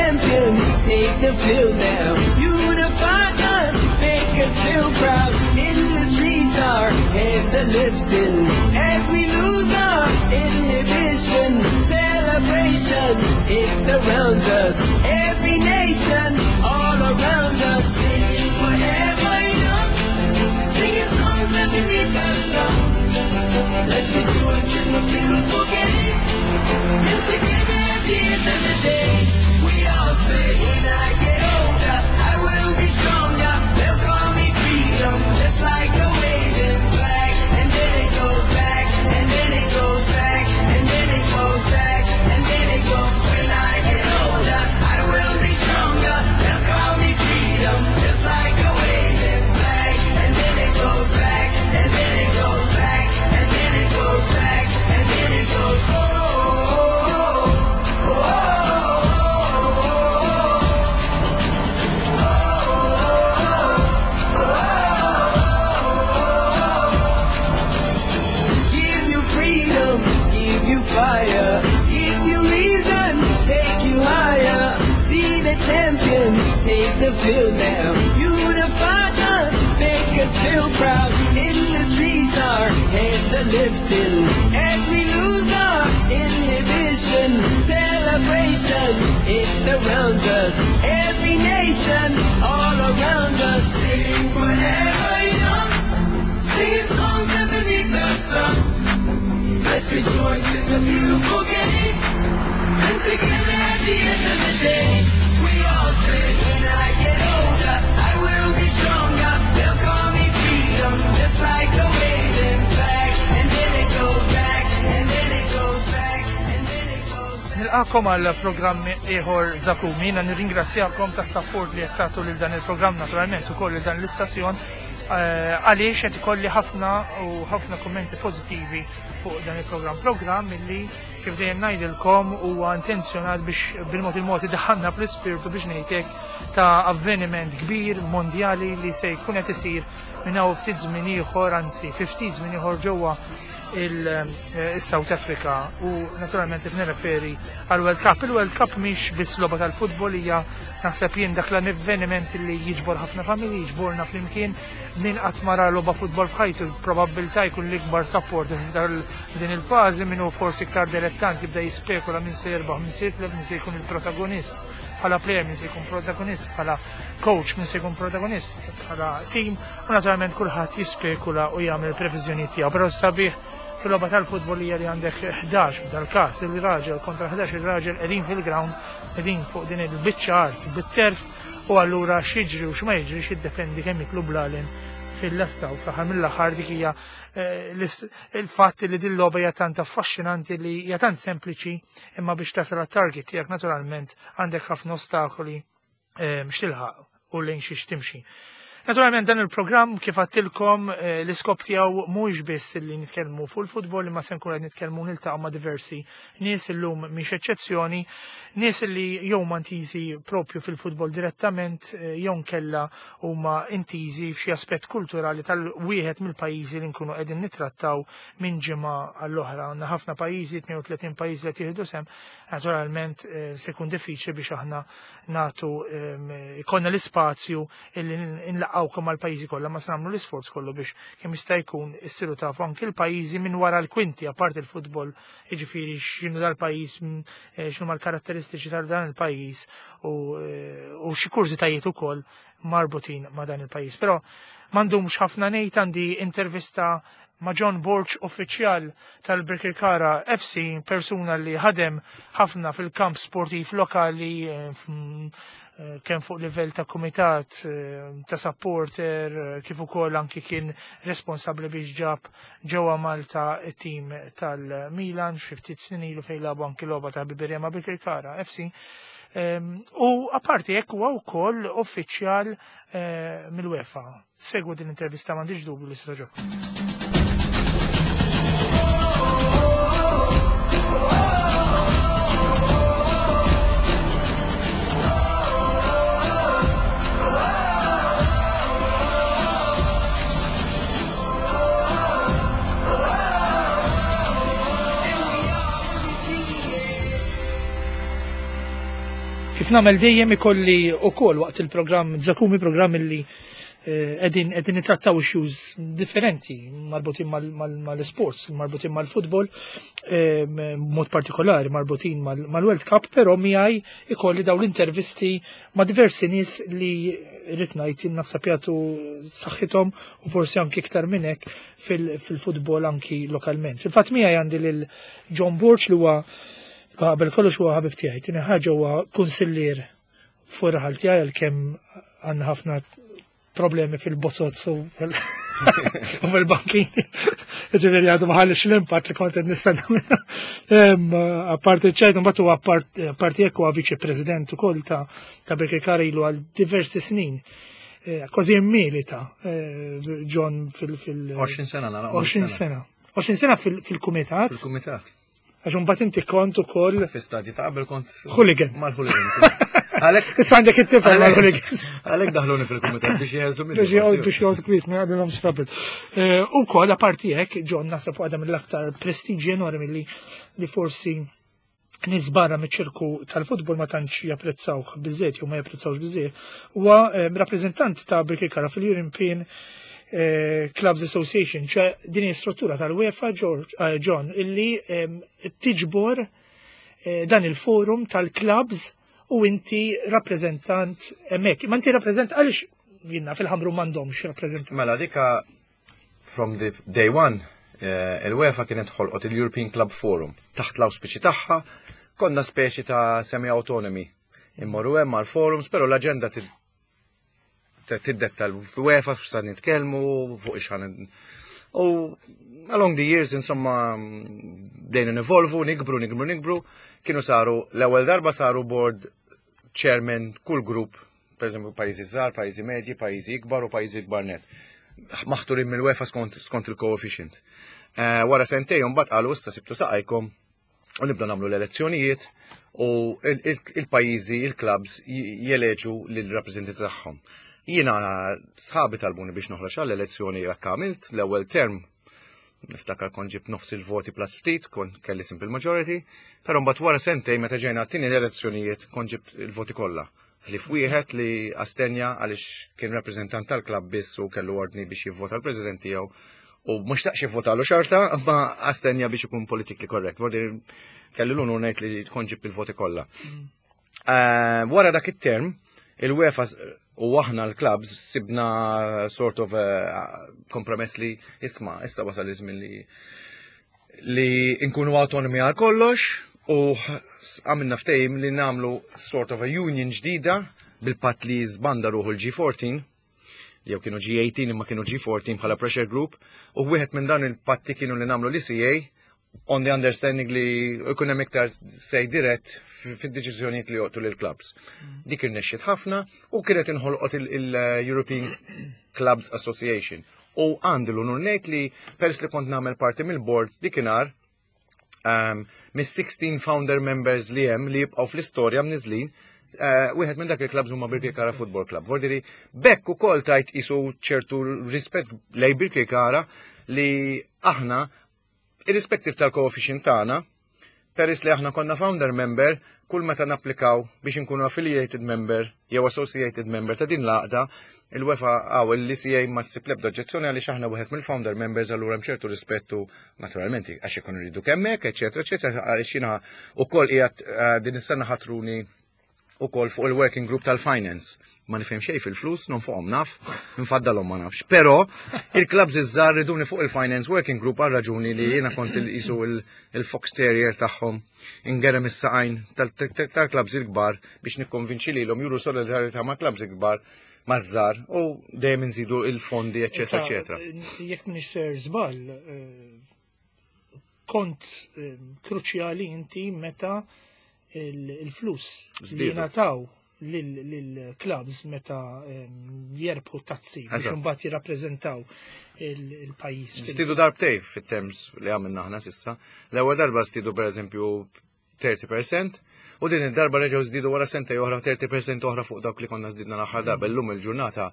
champions take the field now. Unify us, make us feel proud. In the streets, our heads are lifting. As we lose our inhibition, celebration, it surrounds us. Every nation, all around us, sing forever young. Singing songs underneath the sun. Let's rejoice in the beautiful game. And together at the end of the day, we all say, when I get older, I will be stronger. They'll call me freedom, just like a waving flag. And then it goes back, and then it goes back, and then it goes back, and then it goes. When I get older, I will be stronger. They'll call me freedom, just like a waving flag. And then it goes back, and then it goes back, and then it goes back, and then it goes. Oh, oh, oh, oh. Give you freedom, give you fire, give you reason, take you higher. See the champions take the field now. Unify us, make us feel proud. In the streets, our heads are lifting. As we lose our inhibition, celebration, it surrounds us. Every nation, all around us, sing forever young. Singing songs underneath the sun. Let's rejoice in the beautiful game. And together at the end of the day, we all say, when I get older, I will be stronger. They'll call me freedom, just like a waving flag. And then it goes back, and then it goes back, and then it goes back. Nilqakom għal programm ieħor Zakumi, jiena nirringrazzjakom tas-support li qed tagħtu lil dan il-programm naturalment ukoll lil dan l-istazzjon għaliex qed ikolli ħafna u ħafna kummenti pożittivi fuq dan il-programm. Programm illi kif dejjem ngħidilkom huwa intenzjonat biex bil-mod il-mod idaħħalna fl-ispirtu biex ngħidlek ta' avveniment kbir mondjali li se jkun qed isir minn hawn ftit żmien ieħor, anzi fi ftit żmien ieħor ġewwa il-South Africa u naturalment qed nirreferi għal World Cup. Il-World Cup mhix biss logħba tal-futbol, hija naħseb jien dak l-avveniment li jiġbor ħafna familji, jiġborna flimkien. Min qatt ma ra logħba futbol f'ħajtu probabbiltà jkun l-ikbar support din il-fażi, min hu forsi iktar dilettant jibda jispekula min se jirbaħ, min se jitlef, min se jkun il-protagonist bħala player, min se jkun protagonist bħala coach, min se jkun protagonist bħala team, u naturalment kulħadd jispekula u jagħmel previżjonijiet tiegħu. Però sabiħ fil-logħba tal-futbol hija li għandek 11 f'dal-każ il-raġel kontra 11 il-raġel qegħdin fil-ground, qegħdin fuq din il-biċċa art bit-terf, u allura x'jiġri u x'ma jiġrix jiddependi kemm jiklu blalen fil-lesta, u fl-aħħar mill-aħħar dik hija il-fatt li din logħba hija tant affaxxinanti li hija tant sempliċi, imma biex tasal għat-target tiegħek naturalment għandek ħafna ostakoli x'tilħaq u lejn xiex timxi. Naturalment dan il-programm kif għattilkom l-iskop tiegħu mhuwiex biss li nitkellmu fuq il-futbol, imma se nkunu qed nitkellmu niltaqgħu ma' diversi nies illum mhix eċċezzjoni, nies li jew huma intiżi propju fil-futbol direttament jew nkella huma intiżi f'xi aspett kulturali tal-wieħed mill-pajjiżi li nkunu qegħdin nittrattaw minn ġimgħa għall-oħra. Għandna ħafna pajjiżi, 32 pajjiż li qed jieħdu sehem, naturalment se jkun diffiċli biex aħna nagħtu ikollna l-ispazju illi nlaqgħukom mal-pajjiżi kollha, ma se nagħmlu l-isforz kollu biex kemm jista' jkun issiru tafu anki l-pajjiżi minn wara l-kwinti, apart il-futbol, jiġifieri x'inhu dal-pajjiż, x'inhuma l-karatteristiċi tal dan il-pajjiż u xi kurżitajiet ukoll marbutin ma' dan il-pajjiż. Però m'għandhomx ħafna ngħid, għandi intervista ma' John Borg, uffiċjal tal-Birkirkara FC, persuna li ħadem ħafna fil-kamp sportiv lokali, kemm fuq livell ta' kumitat, ta' supporter, kif ukoll anki kien responsabbli biex ġab ġewwa Malta it-tim tal-Milan xi ftit snin ilu fejn lagħbu anki logħba ta' ħbiberija ma' Birkirkara FC. U apparti hekk huwa wkoll uffiċjal mill-UEFA. Segwu din l-intervista, m'għandix dubju li se togħġobkom. Kif nagħmel dejjem ikolli wkoll waqt il-programm Zakumi, programm illi qegħdin qegħdin nittrattaw issues differenti marbutin mal-sports, marbutin mal-futbol, b'mod partikolari marbutin mal-World Cup, però miegħi ikolli dawn l-intervisti ma' diversi nies li rrid ngħid naħseb jagħtu saħħithom u forsi anki iktar minn hekk fil-futbol anki lokalment. Fil-fatt miegħi għandi lil John Borg li huwa qabel kollox huwa ħabib tiegħi, tieni ħaġa huwa kunsillier fuq raħal tiegħi, għalkemm għandna ħafna problemi fil-bozoz u fil-bankin. Ġifieri għadu ma ħallix l-impatt li kont qed nistenna minna. Apparti ċajt, mbagħad huwa apparti hekk huwa viċi president ukoll ta' Birkirkara ilu għal diversi snin. Kważi milita John fil 20 sena nara. 20 sena. 20 sena fil-kumitat. Fil-kumitat. Għax imbagħad inti kont ukoll Fi stadji ta' qabel kont hooligan. Mal-hooligans. Għalek Issa għandek it-tifel mal-hooligans. Għalek daħluni fil-kumitat biex jeħelsu minni. Biex jgħod kwiet, ma jgħadilhom trouble. U koll, apparti hekk, John naħseb għadha mill-aktar prestiġi enormi li forsi nies barra miċ-ċirku tal-futbol ma tantx japprezzawh biżejjed jew ma japprezzawx biżejjed, huwa rappreżentant ta' Birkirkara fil-European Clubs Association, ċe din hi struttura tal-UEFA, George, John, illi tiġbor dan il-forum tal-clubs u inti rappreżentant hemmhekk. Ma inti rappreżent għaliex jiena fil-Ħamrun m'għandhomx rappreżentant? Mela dika from the day one, il-UEFA kienet ħolqot il-European Club Forum. Taħt l-auspiċi tagħha konna speċi ta' semi-autonomy. Immorru hemm mal-forums, però l-aġenda tiddetta l-UEFA f'sa nitkellmu fuq ix U along the years, insomma, bdejna nevolvu, nikbru, nikbru, nikbru. Kienu saru, l-ewwel darba saru board chairman kull grupp, per eżempju, pajjiżi żgħar, pajjiżi medji, pajjiżi ikbar u pajjiżi ikbar net. Maħturin mill-UEFA skont il-coefficient. Wara sentejn mbagħad qalu: "Issa sibtu saqajkom u nibda nagħmlu l-elezzjonijiet u il-pajjiżi, il-clubs jeleġu lill-rappreżentanti tagħhom." Jiena sħabi talbuni biex noħroġ għall-elezzjoni, jekk għamilt l-ewwel term, niftakar kont ġibt nofs il-voti plus ftit, kont kelli simple majority, però mbagħad wara sentejn meta ġejna għat-tieni l-elezzjonijiet kont ġibt il-voti kollha. Ħlief wieħed li astenja għaliex kien rappreżentant tal-klabb biss u kellu ordni biex jivvota l-president tiegħu u mhux taqx jivvotalu xorta, ma astenja biex ikun politically correct. Vordi kelli l-unur ngħid li kont ġibt il-voti kollha. Wara dak it-term, il-UEFA u aħna l-clubs sibna sort of kompromess li isma, issa wasal iż-żmien li nkunu autonomi għal kollox u għamilna ftehim li nagħmlu sort of a union ġdida bil-pat li żbanda ruħu l-G14, jew kienu G18 imma kienu G14 bħala pressure group, u wieħed minn dan il-patti kienu li nagħmlu l-ECA on the understanding li ikun hemm iktar say dirett fid-deċiżjonijiet li joqtu lil clubs. Dik irnexxiet ħafna u kienet inħolqot il-European Clubs Association. U għandi l-unur ngħid li pers li kont nagħmel parti mill-board dikinhar, mis-16 founder members li hemm li jibqgħu fl-istorja mniżlin, wieħed minn dak il-clubs huma Birkirkara Football Club. Vordiri, bekk ukoll tajt isu ċertu rispett lej Birkirkara li aħna, irrispettiv tal-coefficient tagħna, peress li aħna konna founder member, kull meta napplikaw biex inkunu affiliated member jew associated member ta' din l-għaqda, il-UEFA għaw l-ECA ma ssib l-ebda oġġezzjoni għaliex aħna wieħed mill-founder members, allura hemm ċertu rispettu naturalment għax ikunu rridu kemmek, eċetera, eċetera, għaliex jiena ukoll qiegħed din is-sena ħatruni ukoll fuq il-working group tal-finance. Ma nifhem xejn fil-flus, non fuqhom naf, nfaddalhom ma nafx. Però il-clubs iż-żgħar riduni fuq il-finance working group għal raġuni li jiena kont il-qisu il-fox terrier tagħhom, ingerem is-saqajn tal-clubs il-kbar biex nikkonvinċi lilhom juru solidarità ma' clubs il-kbar maż-żgħar u dejjem inżidu il-fondi, eċetera, eċetera. Jekk m'iniex ser żball, kont kruċjali inti meta il-flus li Żdiedu. jingħataw lill-clubs meta jerbħu tazzi biex imbagħad jirrappreżentaw il-pajjiż. Żdiedu darbtejn fit-terms li għamilna aħna s'issa. L-ewwel darba żdiedu, pereżempju, 30% u din id-darba reġgħu żdiedu wara sentejn oħra 30% oħra fuq dawk li konna żdidna l-aħħar darba. Illum il-ġurnata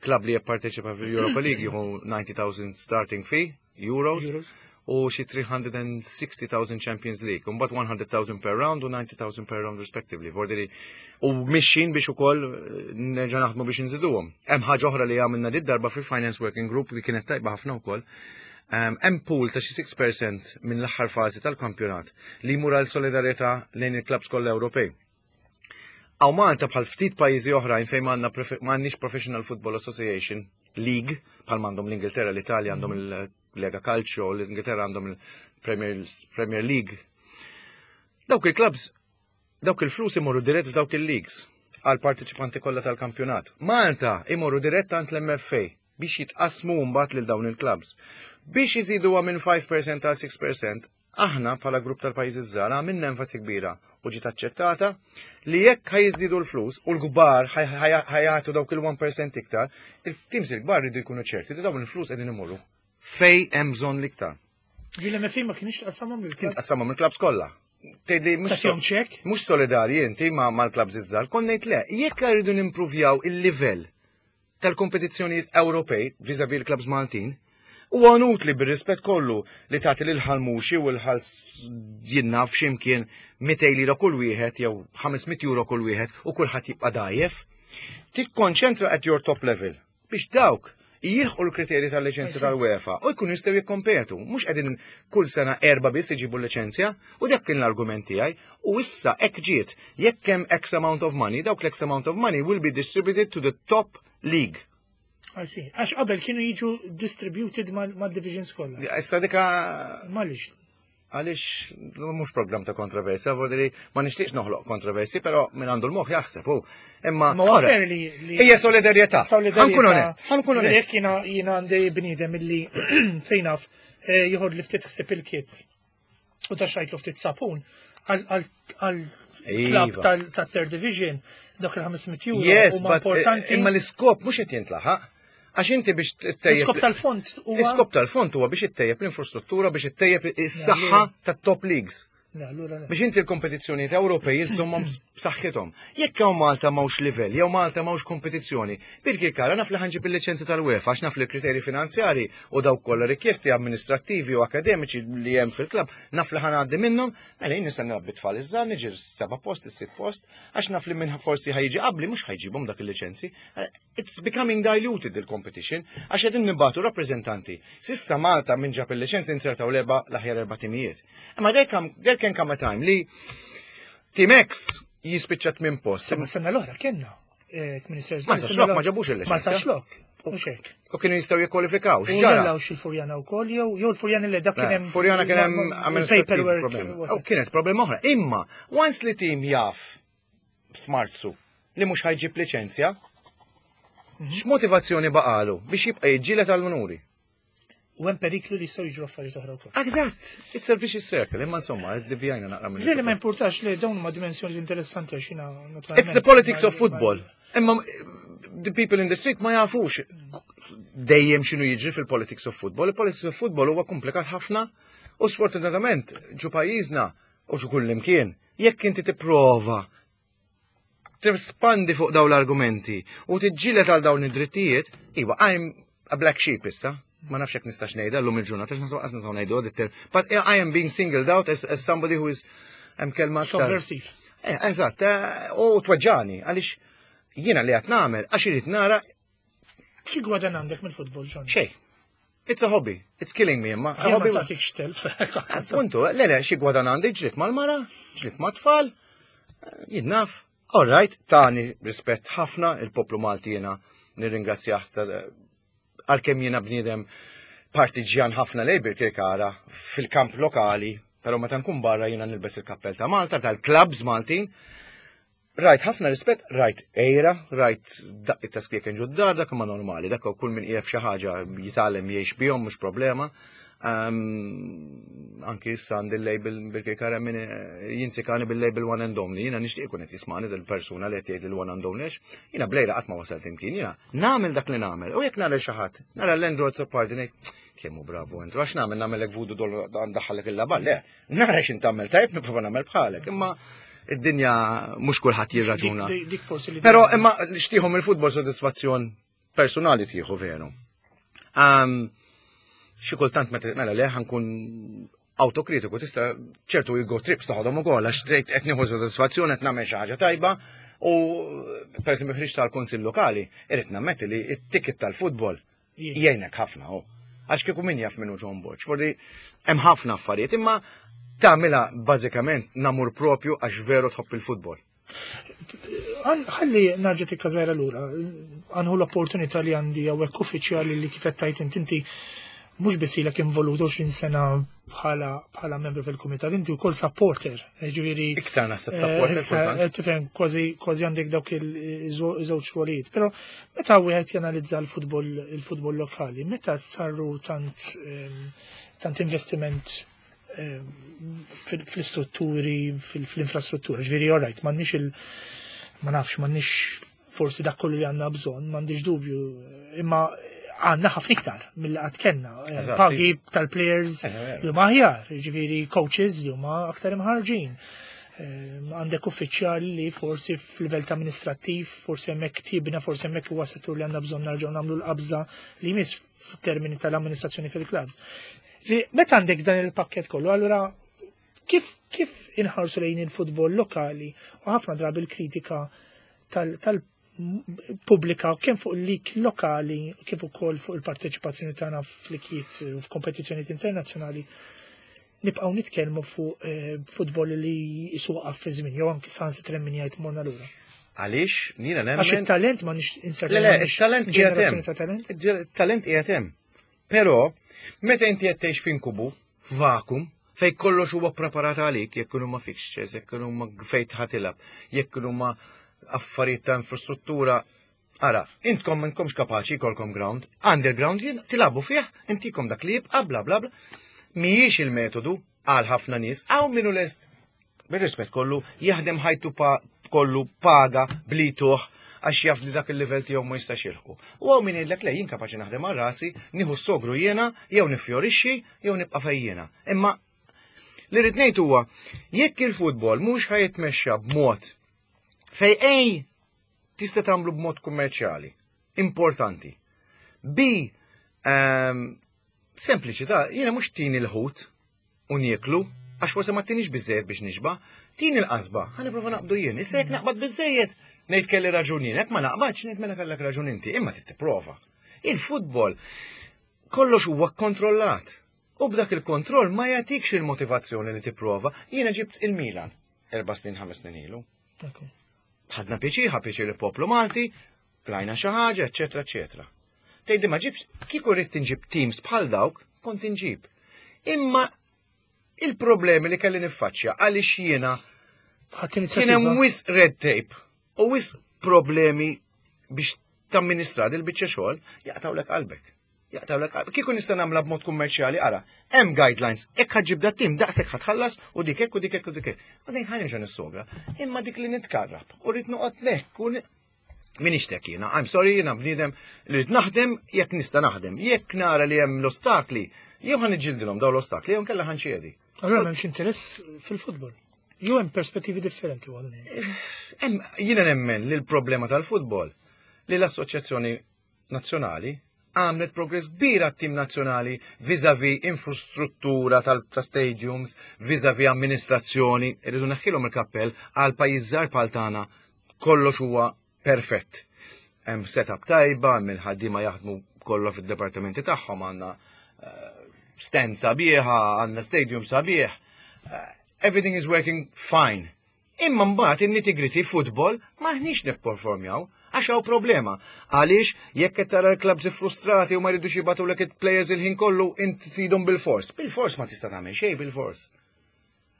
klabb li jipparteċipa fil-Europa League jieħu 90,000 starting fee euros. Euros. u xi 360,000 Champions League, u mbagħad 100,000 per round u 90,000 per round respectively. Vordiri, u mixin biex ukoll nerġa' naħdmu biex nżiduhom. Hemm ħaġa oħra li għamilna dit darba fil-Finance Working Group li kienet tajba ħafna wkoll. Hemm pool ta' xi 6% minn l-aħħar fażi tal-kampjonat li jmur għal solidarjetà lejn il-klabs kollha Ewropej. Hawn Malta bħal ftit pajjiżi oħrajn fejn m'għandniex Professional Football Association League bħal m'għandhom l-Ingilterra, l-Italja għandhom il-Lega Calcio, l-Ingilterra għandhom il-Premier League. Dawk il-klabs, dawk il-flus imorru dirett f'dawk il-leagues għal partiċipanti kollha tal-kampjonat. Malta imorru dirett għand l-MFA biex jitqasmu mbagħad lil dawn il-klabs. Biex iżiduha minn 5% għal 6%, aħna bħala grupp tal-pajjiżi żgħar għamilna enfasi kbira u ġiet aċċettata li jekk ħa jiżdiedu l-flus u l-kbar ħa jagħtu dawk il-1% iktar, il-teams il-kbar rridu jkunu ċerti li dawn il-flus qegħdin imorru fej hemm bżonn l-iktar. Ġi l-MFA ma kienx tqassamhom Kien tqassamhom il-klabs kollha. Tgħidli mhux mhux solidarji inti mal-klabs iż-żgħar, kont ngħid le, jekk rridu nimpruvjaw il-livell tal-kompetizzjonijiet Ewropej vis-a-vis l-klabs Maltin, huwa inutli bir-rispett kollu li tagħti lil Ħal Muxi u l-Ħal jien naf x'imkien 200 lira kull wieħed jew 500 euro kull wieħed u kulħadd jibqa' dgħajjef. Tikkonċentra at your top level biex dawk jilħqu l-kriterji tal-liċenzja tal-UEFA u jkunu jistgħu jikkompetu. Mhux qegħdin kull sena erba' biss iġibu l-liċenzja u dak kien l-argument tiegħi. U issa hekk ġiet, jekk hemm X amount of money, dawk l-X amount of money will be distributed to the top league. I see. Għax qabel kienu jiġu distributed mal-divisions kollha. Issa dika. Malix. Għaliex mhux program ta' kontroversja, li ma nixtieqx noħloq kontroversi, però min għandu l-moħħ jaħseb hu. Imma Ma fair li hija solidarjetà. Ħa nkun onest, ħa nkun onest. Jekk jiena għandi bniedem illi fejn naf jieħod li ftit ħsieb il-kids u ta' xajtlu ftit sapun għal klab tal-third division dak il-500 euro. Yes, but importanti. Imma l-iskop mhux qed jintlaħaq. Għax inti biex ttejjeb. L-iskop tal-fond huwa. L-iskop tal-fond huwa biex ittejjeb l-infrastruttura, biex ittejjeb is-saħħa tat-top leagues. Biex inti l-kompetizzjonijiet Ewropej iżżommhom b'saħħithom. Jekk hawn Malta m'hawnx livell, jew Malta m'hawnx kompetizzjoni, Birkirkara naf li ħa nġib il-liċenzja tal-UEFA għax naf li l-kriterji finanzjari u dawk kollha rikjesti amministrattivi u akademiċi li hemm fil-klabb naf li ħa ngħaddi minnhom, mela jien nista' nilgħab bit-tfal iż-żgħar niġi seba' post, is-sitt post, għax naf li minn forsi ħa jiġi qabli mhux ħa jġibhom dak il-liċenzji. It's becoming diluted il-competition għax qegħdin nibagħtu rappreżentanti. S'issa Malta minn ġab il-liċenzja insertaw l-erba' l-aħjar erba' timijiet. Imma there, come, there can come a time li Team X jispiċċa tmien post. Ma sena l-oħra kienna. Ma saxlok ma ġabux il-liċenzja. Ma saxlok. Mhux hekk. U kienu jistgħu jikkwalifikaw. X'ġara? Xil-Furjana wkoll jew jew l-Furjana li dak kien hemm. Furjana kien hemm amministrative problem. U kienet problema oħra. Imma once li tim jaf f'Marzu li mhux ħa jġib liċenzja, x'motivazzjoni baqalu biex jibqa' jiġġieled għall-unuri? U hemm periklu li jistgħu jiġru affarijiet oħra wkoll. Eżatt, it's a vicious circle, imma insomma, divjajna naqra minn. Le ma importax li dawn huma dimensjoni interessanti għax jiena It's the politics of football. Imma the people in the street ma jafux dejjem x'inhu jiġri fil-politics of football. Il-politics of football huwa komplikat ħafna u sfortunatament ġo pajjiżna u ġo kull imkien. Jekk inti tipprova tispandi fuq dawn l-argumenti u tiġġieled għal dawn id-drittijiet, iwa, I'm a black sheep issa. Ma nafx jekk nistax ngħidha llum il-ġurnata, għax nasu nistgħu ngħidu għod But I am being singled out as somebody who is hemm kelma aktar. Subversive. Eżatt, u tweġġani, għaliex jiena li qed nagħmel għax irid nara Xi gwadan għandek mill-futbol, John? Xejn. It's a hobby. It's killing me, imma. A hobby. Ma xtelf. Appuntu, le, xi gwadan għandi ġlidt mal-mara, ġlidt mat-tfal, jien naf. All right, tani rispett ħafna il-poplu Malti jiena nirringrazzjah għalkemm jiena bniedem partiġjan ħafna lejn Birkirkara fil-kamp lokali, però meta nkun barra jiena nilbes il-kappell ta' Malta, tal-klabs Maltin. Rajt ħafna rispett, rajt għira, rajt daqqiet ta' skieken ġod-dar, dak ma normali, dak kull min qiegħed f'xi ħaġa jitgħallem jgħix bihom mhux problema. Anki issa għandi l-label Birkirkara min jinsikani bil-label one and only, jiena nixtieq ikun qed jismani dil-persuna li qed jgħid il-one and only għax jiena bl-għira qatt ma wasalt imkien, jiena nagħmel dak li nagħmel u jekk nara xi ħadd, nara l-Andrew Azzopardi ngħid kemm hu bravu Andrew, għax nagħmel nagħmellek voodoo doll ndaħħalek il-labar, le, nara x'int tagħmel tajjeb nipprova nagħmel bħalek, imma id-dinja mhux kulħadd jirraġuna. Però imma xtieħu mill-futbol sodisfazzjon personali tieħu veru. Xi kultant meta mela le ħankun autokritiku tista' ċertu ego trips toħodhom ukoll għax tgħid qed nieħu sodisfazzjon qed nagħmel xi ħaġa tajba u pereżempju ħriġt tal-Kunsill Lokali, irid nammetti li t-ticket tal-futbol jgħinek ħafna hu. Għax kieku min jaf minnu John Borg. Fordi hemm ħafna affarijiet, imma tagħmilha bażikament namur propju għax veru tħobb il-futbol. Ħalli narġa' tikka żgħira lura, għanħu l-opportunità li għandi hawnhekk uffiċjali li kif qed tgħid int inti mhux biss ilek involut 20 sena bħala bħala membru fil-kumitat, inti wkoll supporter, ġifieri. Iktar naħseb supporter eh, kultant. Eh, tifhem kważi kważi għandek dawk il-żewġ rwolijiet. Però meta wieħed janalizza l-futbol il-futbol lokali, meta saru tant ehm, tant investiment fl-istrutturi, fl-infrastruttura. Ġifieri, all right, m'għandniex il- ma nafx, m'għandniex forsi dak kollu li għandna bżonn, m'għandix dubju, imma għandna ħafna iktar mill qatt kellna. Eh, pagi tal-players eh, eh, li huma aħjar, ġifieri coaches li huma aktar imħarġin. Għandek uffiċjali li forsi f'livell ta' amministrattiv, forsi hemmhekk tibna, forsi hemmhekk huwa settur li għandna bżonn narġgħu nagħmlu l-qabża li jmiss f'termini tal-amministrazzjoni fil-klabs. Meta għandek dan il-pakket kollu, allura kif kif inħarsu lejn il-futbol lokali u ħafna drabi l-kritika tal-pubblika kemm fuq il-lik lokali kif ukoll fuq il-parteċipazzjoni tagħna fl-ikiet u f'kompetizzjonijiet internazzjonali nibqgħu nitkellmu fuq eh, futbol li jisuqaf fi żmien jew anki sans min jgħid morna lura. Għaliex nina nemmen. Għax it-talent ma nix inserti. Le, le, il-talent qiegħed hemm. Il-talent qiegħed hemm. Però, meta inti qed tgħix f'inkubu, f'vakum, fejn kollox huwa preparat għalik, jekk huma fixtures, jekk huma fejn tħatilab, jekk huma affarijiet ta' infrastruttura, Ara, intkom intkomx kapaċi jkollkom ground, underground jien tilabu fih, intikom dak li jibqa' bla bla bla. Mhijiex il-metodu għal ħafna nies, hawn minnu lest bir-rispett kollu, jaħdem ħajtu kollu paga blituh għax jaf li dak il-livell tiegħu ma jistax jilħqu. U hawn min jgħidlek le jien kapaċi naħdem għal rasi, nieħu s-sogru jiena, jew nifjorixxi, jew nibqa' fejn jiena. Imma li rrid ngħid huwa jekk il-futbol mhux ħajitmexxa b'mod fej ej tista' tagħmlu b'mod kummerċjali, importanti. B um, sempliċi ta' jiena mhux tini l-ħut u nieklu, għax forsi ma tinix biżejjed biex nixba, tini l-qasba, ħa nipprova naqbdu jien. Issa jekk naqbad biżejjed, ngħid kelli raġun jien, jekk ma naqbadx ngħid mela kellek raġun inti, imma trid tipprova. Il-futbol kollox huwa kontrollat. U b'dak il-kontroll ma jagħtikx il-motivazzjoni li tipprova. Jiena ġibt il-Milan erba' snin ħames snin ilu. Ħadna pjaċir, ħa pjaċir il-poplu Malti, Qlajna xi ħaġa, eċċetera, eċċetera. Tgħidli ma ġibx, kieku rrid inġib teams bħal dawk, kont inġib. Imma il-problemi li kelli niffaċċja għaliex jiena kien hemm wisq red tape u wisq problemi biex tamministra dil biċċa xogħol jaqtawlek qalbek. Jaqtawlek qalbek. Kieku nista' nagħmlha b'mod kummerċjali, ara, hemm guidelines, hekk ħaġġib dat tim daqshekk ħatħallas u dik hekk u dik hekk u dik hekk. U dejn ħanerġa' nissogra. Imma dik li nitkarrab u rrid noqgħod nek u Minix tek jiena, I'm sorry, jiena bniedem li rrid naħdem jekk nista' naħdem. Jekk nara li hemm l-ostakli, jew ħan iġġildilhom daw l-ostakli, jew nkella ħan ċedi. Allura m'hemmx interess fil-futbol. Jew hemm perspettivi differenti għal. Jiena nemmen li l-problema tal-futbol li l-Assoċjazzjoni Nazzjonali għamlet progress kbir għat-tim nazzjonali vis-a-vis infrastruttura tal-stadiums, vis-a-vis amministrazzjoni, irridu neħħilhom il-kappell għal pajjiż żgħar bħal tagħna kollox huwa perfett. Hemm setup tajba, hemm il-ħaddiema jaħdmu kollu fid-departamenti tagħhom għandna eh, stand sabiħa, għandna stadium sabiħ. Eh, everything is working fine. Imma mbagħad in-nitty-gritty football m'aħniex nipperformjaw għax hawn problema. Għaliex jekk qed tara l-clubs frustrati u ma jridux jibgħatulek il-players il-ħin kollu int tridhom bil-fors. Bil-fors ma tista' tagħmel xejn bil-fors.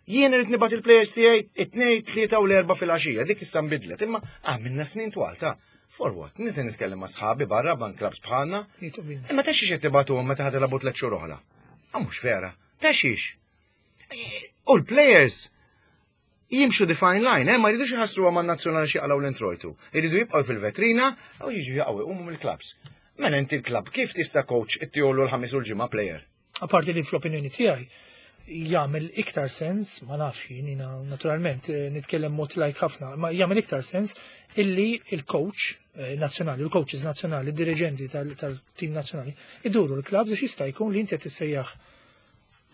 Jien irid nibgħat il-players tiegħi it-tnejn, tlieta u l-erba' filgħaxija, dik issa nbidlet, imma għamilna snin twal ta' For what? Nista' nitkellem ma' sħabi barra ban clubs bħalna. Imma ta' xiex qed tibgħatuhom meta ħad tilagħbu tliet xhur oħra? Ah, mhux vera. Ta' xiex? U l-players jimxu the fine line, eh, ma jridux jħassruha man nazzjonali xi jaqalgħu l-introjtu. Iridu jibqgħu fil-vetrina u jiġu jaqgħu jqumu mill-clubs. Mela inti l-club kif tista' coach ittiholu l-ħamis u l-ġimgħa player? Apparti li fl-opinjoni tiegħi, Jagħmel iktar sens, ma nafx jien, jiena naturalment nitkellem mod lajk ħafna, ma jagħmel iktar sens illi il-coach nazzjonali, il-coaches nazzjonali, il-dirigenti tal-team nazzjonali, iduru l-clubs biex jista' jkun li inti qed tissejjaħ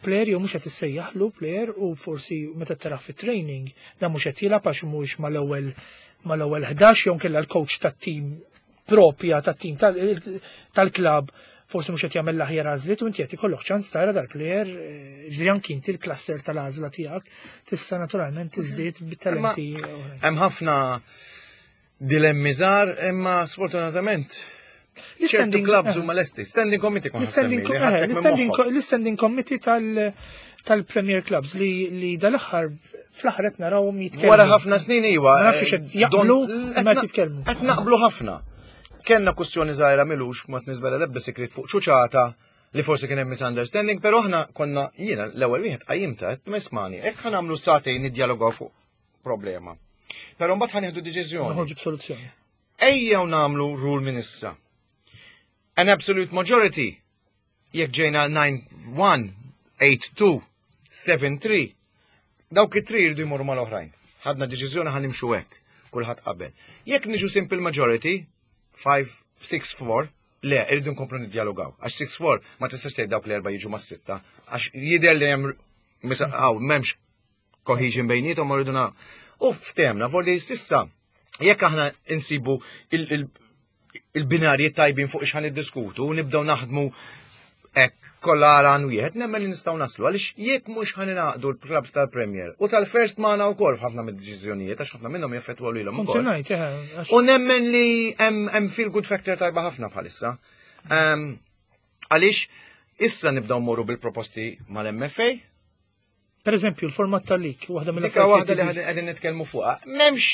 player jew mhux qed issejjaħlu player u forsi meta tarah fit-training dan mhux qed jilgħab għax mhuwiex mal-ewwel 11 jew kellha l-coach tat-team propja tat-team tal-club forsi mhux qed jagħmel l-aħjar għażliet u inti qed ikollok ċans tara dal-player ġifieri anki inti l-cluster tal-għażla tiegħek tista' naturalment tiżdied bit-talenti. Hemm ħafna dilemmi żgħar imma sfortunatament ċertu clubs huma lesti. Standing committee kont L-standing committee tal-Premier Clubs li dal-aħħar fl-aħħar qed narawhom jitkellmu. Wara ħafna snin iwa. Ma nafx qed jaqblu ma jitkellmu. Qed naqblu ħafna. Kellna kwestjoni żgħira milux ma tniżbela l-ebda sekret fuq ċuċata li forsi kien hemm misunderstanding, però aħna konna jiena l-ewwel wieħed qajjimta qed mismani, hekk ħa nagħmlu sagħtejn niddjalogaw fuq problema. Però mbagħad ħa nieħdu deċiżjoni. Noħorġu b'soluzzjoni. Ejjew nagħmlu rule minn issa. An absolute majority jekk ġejna 9-1, 8-2, 7-3, dawk it-tri jridu jmorru mal-oħrajn. Ħadna deċiżjoni ħa nimxu hekk, kulħadd qabel. Jekk niġu simple majority, 5, 6, 4, le, irridu nkomplu niddjalogaw. Għax 6-4 ma tistax tgħid dawk l-erba' jiġu mas-sitta, għax jidher li hemm m'hemmx cohesion bejniethom u rridu na. U ftemna, volli sissa, jekk aħna insibu il-binarji tajbin fuq x'ħan niddiskutu u nibdew naħdmu hekk kollha għal wieħed, nemmen li nistgħu naslu għaliex jekk mhux ħan ingħaqdu l-clubs tal-Premier u tal-First magħna wkoll f'ħafna mid-deċiżjonijiet għax ħafna minnhom jaffettwaw lilhom ukoll. U nemmen li hemm feel good factor tajba ħafna bħalissa. Għaliex issa nibdew morru bil-proposti mal-MFA. Per eżempju, l-format tal-lig, waħda mill Dika waħda li qegħdin nitkellmu fuqha. M'hemmx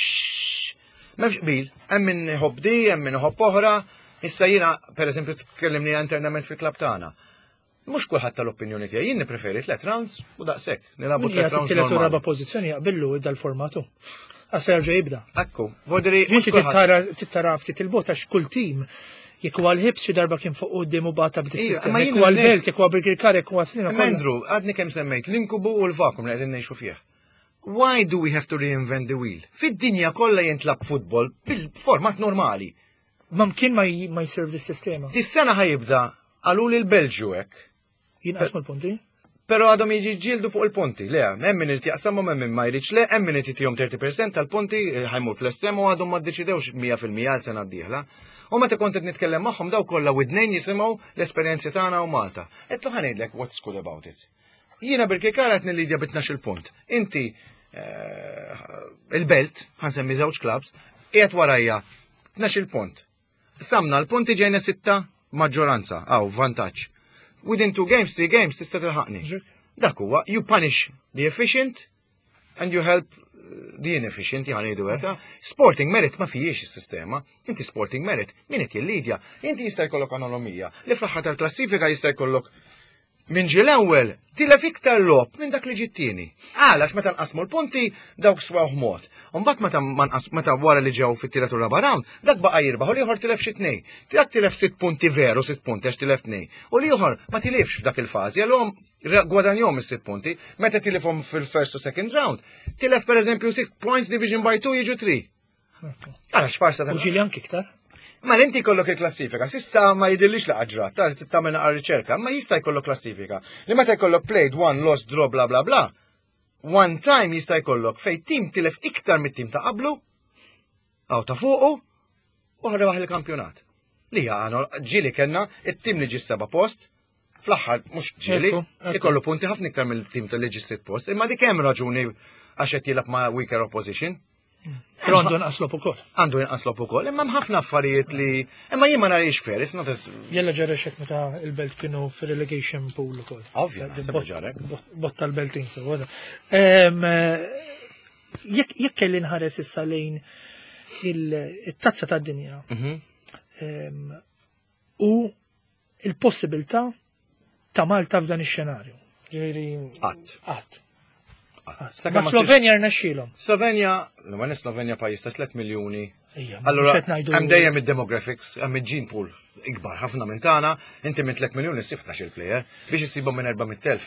qbil, hemm min iħobb di, hemm min iħobb oħra. Issa jiena, per eżempju, tkellimni internament fil-klabb tagħna. Mhux kulħadd tal-opinjoni tiegħi, jien nippreferi tliet rounds u daqshekk. Nilagħbu tliet rounds. Tliet u raba' pożizzjoni jaqbillu dal-formatu. Għax jerġa' jibda. Ekku, vodri. Inti tittara ftit il-bot għax kull tim jekk huwa l-Hibs xi darba kien fuq quddiem u bata b'di sistema. Jekk huwa l-Belt, jekk huwa Birkirkara, jekk huwa Sliema. Andrew, għadni kemm semmejt l-inkubu u l-vakum li qegħdin ngħixu fih. Why do we have to reinvent the wheel? Fid-dinja kollha jintlab futbol bil-format normali. Ma mkien ma jservi s-sistema. Dis-sena ħa jibda għalu li l-Belġju hekk. Jinqasmu l-punti? Pero għadhom jiġi ġildu fuq il-punti. Le, hemm min irid jaqsamhom, hemm min ma jridx le, hemm min irid jtihom 30% tal-punti ħa jmur fl-estrem u għadhom ma ddeċidewx 100% għal sena d-dieħla. U meta kont qed nitkellem magħhom daw kollha widnejn jisimgħu l-esperjenzi tagħna u Malta. Qed ħa ngħidlek what's good about it. Jiena Birkirkara qed nillidja bi 12 punt. Inti il-Belt, ħa nsemmi żewġ clubs, qiegħed warajja 12 punt. Samna l-punti ġejna sitta maġġoranza, għaw, vantaġġ. Within two games, three games, tista' tilħaqni. Dak huwa, you punish the efficient and you help the inefficient, jħan jgħidu hekk. Sporting merit ma fijiex is-sistema. Inti sporting merit, min qed jillidja? Inti jista' jkollok anonomija li fl-aħħar tal-klassifika jista' jkollok min ġie l-ewwel tilef iktar logħob minn dak li ġie t-tieni. Għalax meta nqasmu l-punti dawk swaw mod. Umbagħad meta ma nqas meta wara li ġew fit-tielet u raba' round, dak baqa' jirbaħ u l-ieħor tilef xi tnej. Dak tilef sitt punti veru, sitt punti għax tilef tnej. U l-ieħor ma tilifx f'dak il-fażi, għalhom gwadanjhom is-sitt punti. Meta tilifhom fil-first u second round, tilef pereżempju 6 points division by 2 jiġu 3. Għala x'farsa ta' U ġieli anki iktar. Ma inti jkollok il-klassifika, sissa ma jidillix la ġrat, ta' tagħmel naqra riċerka, ma jista' jkollok klassifika. Li meta jkollok played one, lost, draw, bla bla bla, one time jista' jkollok fej tim tilef iktar mit-tim ta' qablu, għaw ta' fuqu, u rebaħ il-kampjonat. Li għano ġieli kellna it-tim li ġi seba post, fl-aħħar mhux ġieli, ikollu punti ħafna iktar mill-tim tal-li ġi sitt post, imma dik hemm raġuni għax qed jilgħab ma' weaker opposition. Però għandu inqas logħob ukoll. Għandu inqas logħob ukoll, imma hemm ħafna affarijiet li imma jien ma narix fair, it's not as Jella ġara xek meta il-Belt kienu fir-relegation pool ukoll. Ovvja, naħseb ġarek. Botta l-Beltin sewa. Jekk kelli nħares issa lejn il-tazza tad-dinja u il-possibilità ta' Malta f'dan ix-xenarju. Ġifieri Qatt. Qatt. Ma Slovenja rnexxielhom. Slovenja, ma Slovenja pajjiż ta' 3 miljuni. Allora, hemm dejjem id-demographics, hemm il-gene pool ikbar ħafna minn tagħna, inti minn 3 miljuni ssib 11 player biex issibhom minn 400,000.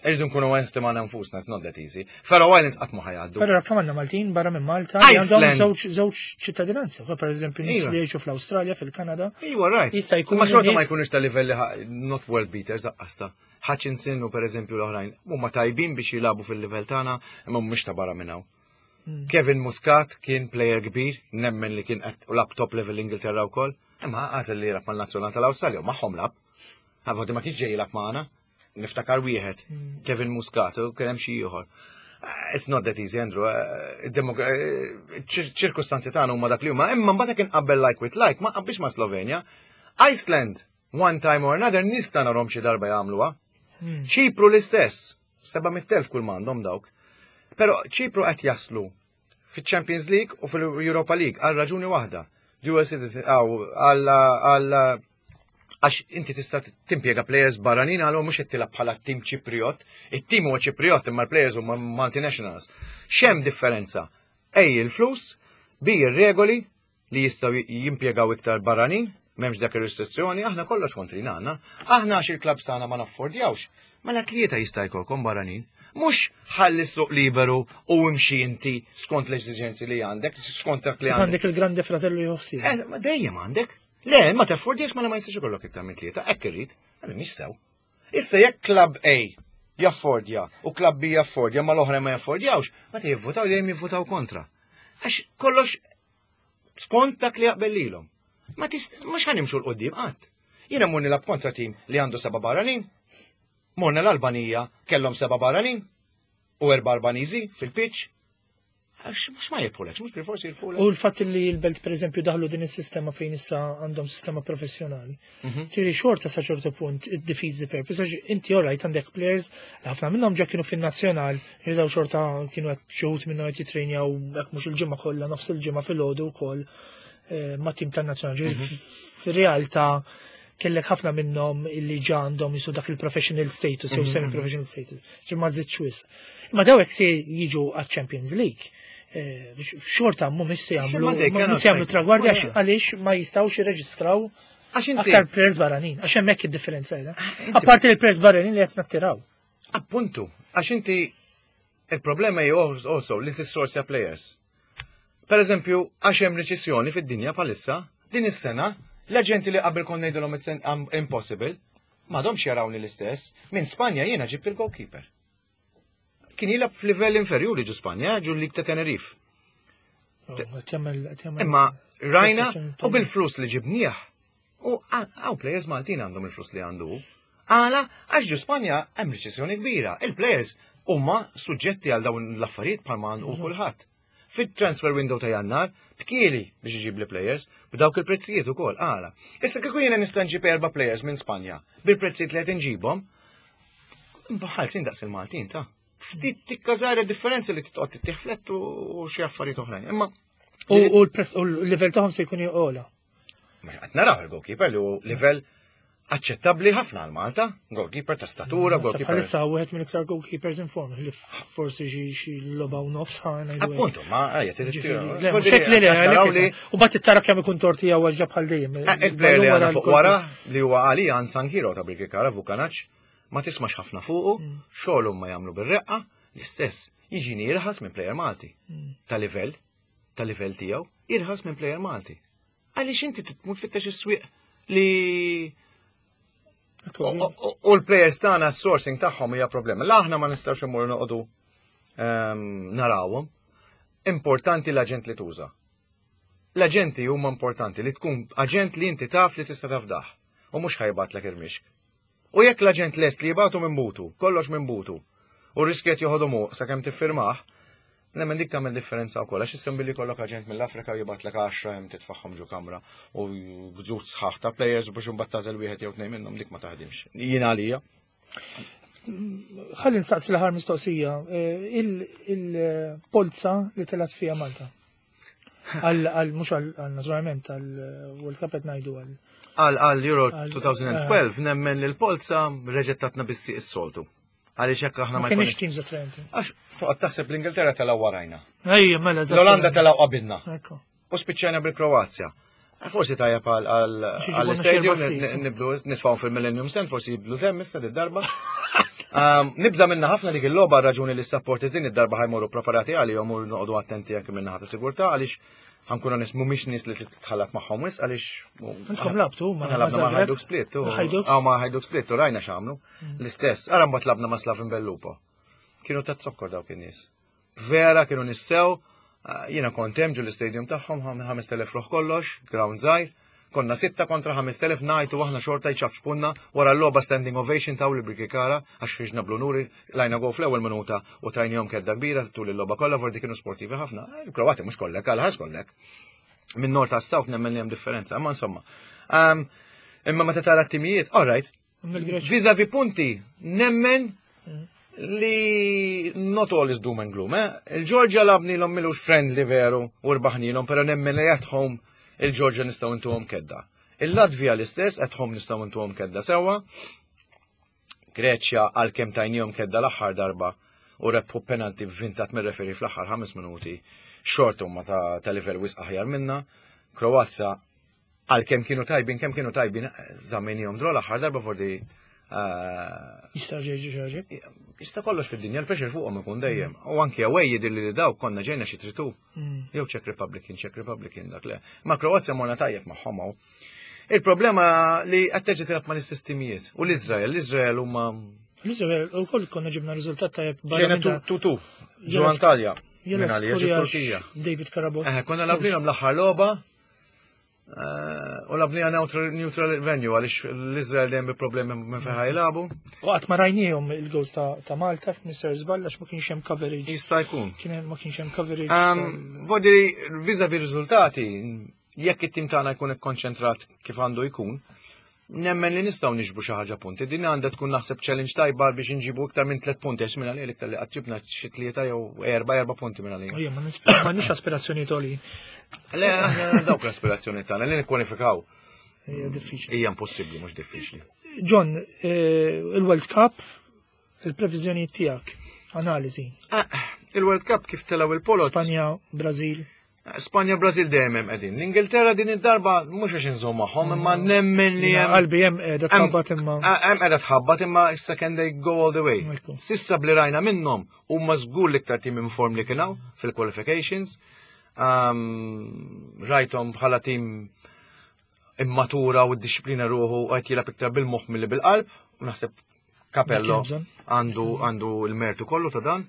Irridu nkunu onesti ma' nfusna, it's not that easy. Faroe Islands qatt ma ħa jgħaddu. Però kemm għandna Maltin barra minn Malta li għandhom żewġ żewġ ċittadinanzi, per eżempju nies li jgħixu fl-Awstralja, fil-Kanada. Iva, right. Jista' jkun. Ma xorta ma jkunux ta' livelli not world beaters aqqasta. Hutchinson u per eżempju l-oħrajn huma tajbin biex jilagħbu fil-livell tagħna, imma mhumiex ta' barra minn hawn. Hmm. Kevin Muscat kien player kbir, nemmen li kien qed lab top level l-Ingilterra wkoll, imma għażel li jilgħab mal-nazzjonal tal-Awstralja u magħhom lab. Għavodi ma kienx ġej jilgħab magħna. Niftakar wieħed, hmm. Kevin Muscat, u kien hemm xi ieħor. Eh, it's not that easy, Andrew. Eh, eh, ċirkustanzi tagħna huma dak li huma, imma mbagħad jekk inqabbel like with like, ma qabbix ma' Slovenja. Iceland, one time or another, nista' narhom xi darba jagħmluha. Hmm. Ċipru l-istess, 700,000 kull m'għandhom dawk. Però Ċipru qed jaslu fiċ-Champions League u fil-Europa League għal raġuni waħda. Dual citizen, għal għax inti tista' timpjega players barranin għal mhux qed tilgħab bħala tim Ċipriot, it-tim huwa Ċipriot imma l-players huma multinationals. X'hemm differenza? Ej il-flus, bi ir-regoli li jistgħu jimpjegaw iktar barranin, m'hemmx dak ir-restrizzjoni, aħna kollox kontrina għandna. Aħna għax il-klabs tagħna ma naffordjawx. Mela tlieta jista' jkollkom barranin. Mhux ħalli s-suq liberu u imxi inti skont l-eżiġenzi li għandek, skont dak li għandek. Għandek il-grande fratello joħsib. Eh, dejjem għandek. Le, ma teffordiex mela ma jistax ikollok iktar minn tlieta, hekk irrid, għalli mhix sew. Issa jekk klabb A jaffordja u klabb B jaffordja ma l-oħra ma jaffordjawx, ma jivvutaw dejjem jivvutaw kontra. Għax kollox skont dak li jaqbel lilhom. Ma tist mhux ħanimxu l-qudiem qatt. Jiena mmur nilgħab kontra tim li għandu seba' barranin. Morna l-Albanija kellhom seba' barranin u erba' Albaniżi fil-pitch. Għax mhux ma jirbħulekx, mhux bil-forsi jirbħulek. U l-fatt li l-belt pereżempju daħlu din is-sistema fejn issa għandhom sistema professjonali. Mhm. Tiri xorta sa ċertu punt it defeats the purpose għax inti all right għandek players li ħafna minnhom ġa kienu fin-nazzjonal, jidaw xorta kienu qed xi wħud minnhom qed jitrejnjaw hekk mhux il-ġimgħa kollha nofs il-ġimgħa filgħodu wkoll eh, ma' tim tan-nazzjonal. Mhm. Fir-realtà kellek ħafna minnhom illi ġa għandhom jisu dak il-professional status jew mhm, semi-professional status, ġi ma żidx wisq. Imma dawk se jiġu għaċ-Champions League, eh, xorta mhumiex se jagħmlu mhumiex se jagħmlu tragwardi għax għaliex ma jistgħux jirreġistraw aktar players barranin, għax hemmhekk id-differenza qiegħda. Ah, Apparti l-players barranin li qed nattiraw. Appuntu, għax inti il-problema hi also li tissorsja players. Per eżempju, għax hemm riċessjoni fid-dinja bħalissa, din is-sena, l-aġenti li qabel konna ngħidilhom it's impossible, m'għadhomx jarawni l-istess, minn Spanja jiena ġibt il-goalkeeper. Kien jilgħab f'livell inferjuri ġu Spanja, ġu l-lig ta' Tenerife. Oh, Imma rajna u bil-flus li ġibnieh U għaw players Maltin għandhom il-flus li għandu. Għala, għax ġu Spanja hemm riċessjoni kbira. Il-players huma suġġetti għal dawn l-affarijiet bħalma u mhm. kulħadd. Fit-transfer window ta' jannar, bkieli biex iġib li players, b'dawk il-prezzijiet ukoll għala. Issa kieku jiena nista' nġib erba' players minn Spanja bil-prezzijiet li qed inġibhom, bħal daqs il-Maltin ta' ftit tikka żgħira differenza li titqgħod tittieħ u xi affarijiet oħrajn. Imma U l-livell tagħhom se jkun joqgħola. Qed naraw il-goalkeeper li hu livell aċċettabbli ħafna għal Malta, goalkeeper ta' statura, goalkeeper. Bħalissa wieħed minn iktar goalkeepers in form li forsi xi logħba u nofs ħana. Appuntu, ma ejja Le, u bat it-tara kemm ikun torti jew għaġġa bħal dejjem. Eh, il-player li għandna fuq wara li huwa għalija unsung hero ta' Birkirkara Vukanac, ma tismax ħafna fuqu, mm. xogħol ma jagħmlu bir-reqqa, l-istess jiġini jirħas minn player Malti. Mm. Ta' livell, ta' livell tiegħu, irħas minn player Malti. Għaliex inti tmur tfittex is-swieq li U l-players tagħna s-sourcing tagħhom hija problema. La aħna ma nistgħux immorru noqogħdu ehm, narawhom. Importanti l-aġent li tuża. L-aġenti huma importanti li tkun aġent li inti taf li tista' tafdah u mhux ħajbatlek irmixk. U jekk l-aġent lest li jibgħatu minn butu, kollox minn butu, u r-riskju qed joħodhom hu sakemm tiffirmah, nemmen dik tagħmel differenza wkoll għax issa billi jkollok aġent mill-Afrika u jibgħatlek għaxra hemm titfagħhom ġo kamra u gżut sħaħ ta' players biex imbagħad tagħżel wieħed jew tnejn minnhom dik ma taħdimx. Jien għalija. Ħalli nsaqsi l-aħħar mistoqsija. Eh, il-polza li telgħet fiha Malta. Għal, mux għal, naturalment, għal World Cup qed ngħidu għal. Għal għal Euro 2012 eh. nemmen li l-polza reġettatna bissi is-soltu. Għaliex hekk aħna ma kienx teams attraenti. Għax toqgħod taħseb l-Ingilterra telgħu warajna. Ejja, mela. L-Olanda telgħu qabilna. U spiċċajna bil-Kroazja. Forsi tajjeb għall-istadium nibdu nitfgħu fil-Millennium Stand, forsi jibdu dem issa darba. Nibża minna ħafna dik il-logħba raġuni li s-supporters din id-darba ħa jmorru preparati għalihom u noqogħdu attenti anke minnaħa ta' sigurtà għaliex ħa nkunu nies mhumiex nies li titħallat magħhom wisq għaliex. Intkom labtu ma labna ma' Hajduk Split. Ah, ma' Hajduk Split u rajna x'għamlu. L-istess, ara mbagħad labna ma' Slaven Belupo. Kienu ta' zokkor dawk in-nies. Vera kienu nissew, jiena kont hemm ġol l-istadium tagħhom 5000 ruħ kollox, ground żgħir. Konna 6 kontra 5000 ngħidu aħna xorta jċafċpunna wara l-logħba standing ovation taw li Birkirkara għax ħriġna bl-unuri lajna go fl-ewwel minuta u tajnihom kedda kbira tul il-logħba kollha vordi kienu sportivi ħafna. Il-Kroati mhux kollek, għal ħaż kollek. Minn nord tas south nemmen li hemm differenza, imma insomma. Imma meta tara t-timijiet, all right. Vis-a-vis punti, nemmen li not all is doom and gloom, eh? Il-Georgia labni l milux friendly veru u rbaħnilhom, pero nemmen li at home il-Georgia nistgħu intuhom kedda. Il-Latvija l-istess, at home nistgħu intuhom kedda sewwa. Greċja għalkemm tajnihom kedda l-aħħar darba u rebħu penalti vintat mir-referi fl-aħħar 5 minuti, xorta huma ta' livell wisq aħjar minna. Kroazja għalkemm kienu tajbin, kemm kienu tajbin, żammejnihom draw l-aħħar darba fordi Jista' ġeġi ġeġi. Jista' kollox fid-dinja, l-pressure fuqhom ikun dejjem. U anke away jidher li daw konna ġejna xi tritu. Jew Czech Republic, kien Czech Republic kien dak le. Ma Kroazja morna tajjeb magħhom hawn. Il-problema li qed terġa' tilgħab mal-istess timijiet. U l-Iżrael, l-Iżrael huma L-Iżrael ukoll konna ġibna riżultat tajjeb barra ġejna 2-2. Ġo Antalja. Minn għalija ġo Turkija. David Karabot. Konna labnilhom l-aħħar logħba. U labnija neutral venue għaliex l-Izrael dejjem bi problemi minn fejn jilagħbu. U qatt ma rajniehom il-goals ta' Malta, Mr. Żball, għax ma kienx hemm coverage. Jista' jkun. Kien ma kienx hemm coverage. Vodiri, vis-a-vis riżultati, jekk it-tim tagħna jkun ikkonċentrat kif għandu jkun, nemmen li nistgħu niġbu xi ħaġa punti. Din għandha tkun naħseb challenge tajba biex inġibu iktar minn 3 punti għax minn għalija iktar li qatt ġibna xi tlieta jew 4 punti minn għalija. Ejja, ma m'għandniex aspirazzjoni toli. Le, aħna dawk l-aspirazzjoni tagħna li nikkwalifikaw. Hija diffiċli. Hija impossibbli, mhux diffiċli. John, il-World Cup, il-previżjoni tiegħek, analiżi. Ah, il-World Cup kif telaw il-polot. Spanja, Brazil. Spanja, Brazil dejjem hemm qegħdin. L-Ingilterra din id-darba mhux għax inżomm magħhom, imma nemmen li hemm Qalbi hemm qiegħda tħabbat imma. Ah, hemm qiegħda tħabbat imma issa can they go all the way. Ekku. Sissa bli rajna minnhom huma żgur l-iktar team in form li kien hawn fil-qualifications. Rajthom bħala team immatura u d-disciplina ruħu u qed jilgħab iktar bil-moħħ milli bil-qalb. U naħseb Capello Dak hemm bżonn. għandu l-mertu kollu ta' dan.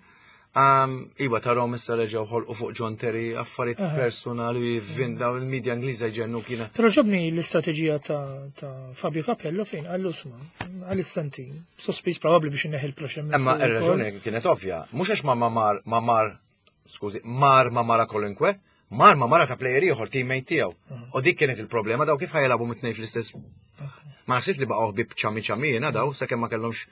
Iva tarom issa reġgħu ħolqu fuq John Terry affarijiet personali vinda il-medja Ingliża jġennu kiena. Però ġobni l-istrateġija ta' Fabio Capello fejn għallu sma, għal-istanti, sospiż probabbli biex inneħi l-pressure minn Imma fuq ir-raġuni ukoll. kienet ovvja, mhux għax ma mar skużi, mar ma mara kolunkwe, mar ma mara ta' player ieħor teammate tiegħu. U dik kienet il-problema daw kif ħa jilagħbu mit-tnejn fl-istess. Ma naħsibx li baqgħu ħbieb ċami ċami jiena daw sakemm ma kellhomx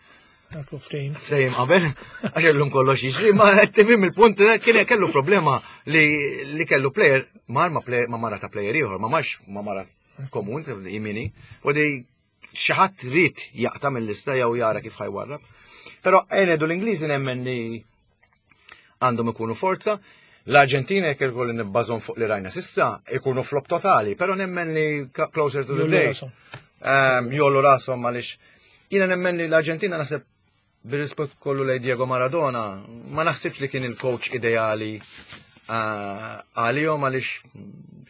Ekku, ftehim. ftehim qabel, għax illum kollox jiġri, ma qed tifhem il-punt kien kellu problema li kellu player mar ma player ma mara ta' player ieħor, ma marx ma mara komun jimini, u di xi ħadd rid jaqta' mill-lista jew jara kif ħa jwarrab. Però ngħidu l-Ingliżi nemmen li għandhom ikunu forza. L-Arġentina jekk ikolli nibbażon fuq li rajna sissa, ikunu flop totali, però nemmen li closer to the Jollu day. rashom. Jollu rashom għaliex jiena nemmen li l-Arġentina naħseb bir-rispett kollu lej Diego Maradona, ma naħsibx li kien il-coach ideali għalihom għaliex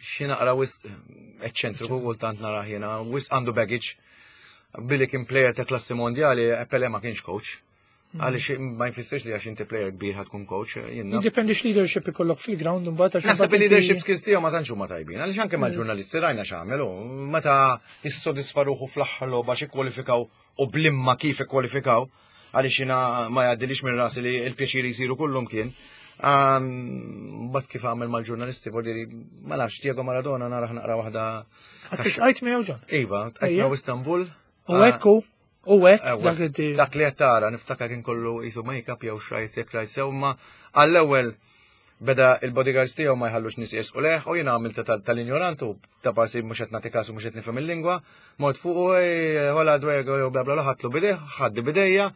xi naqra wisq eċċentriku kultant narah jiena, wisq għandu baggage. Billi kien player ta' klassi mondjali, Pele ma kienx coach. Għaliex ma jfissirx li għax inti player kbir ħa tkun coach, jiena. Jiddependi x-leadership ikollok fil-ground imbagħad għax Naħseb imbagħad il-leadership skills tiegħu ma tantx huma tajbin, għaliex anke mal-ġurnalisti rajna x'għamelu, meta jissodisfa ruħu fl-aħħar logħba xi kwalifikaw u blimma kif ikkwalifikaw, għaliex jiena ma jgħaddilix minn rasi li l-pjaċiri jsiru kullum kien. Bat kif għamel mal-ġurnalisti, voldiri, ma nafx, Diego Maradona naraħ naqra waħda. Għax għajt miegħu John. Iva, għajt miegħu Istanbul. U hekk u hekk dak li Dak li qed tara, niftakar kien kollu jisu make-up jew xrajt jekk rajt sew, ma għall-ewwel beda il-bodyguards tiegħu ma jħallux nies jersqu leħ u jiena għamilt tal-ignorantu ta' parsi mhux qed nagħti kasu mhux qed nifhem il-lingwa, mort fuq u hola Diego jew bla bla bla ħadtlu bidejh, ħaddi bidejja,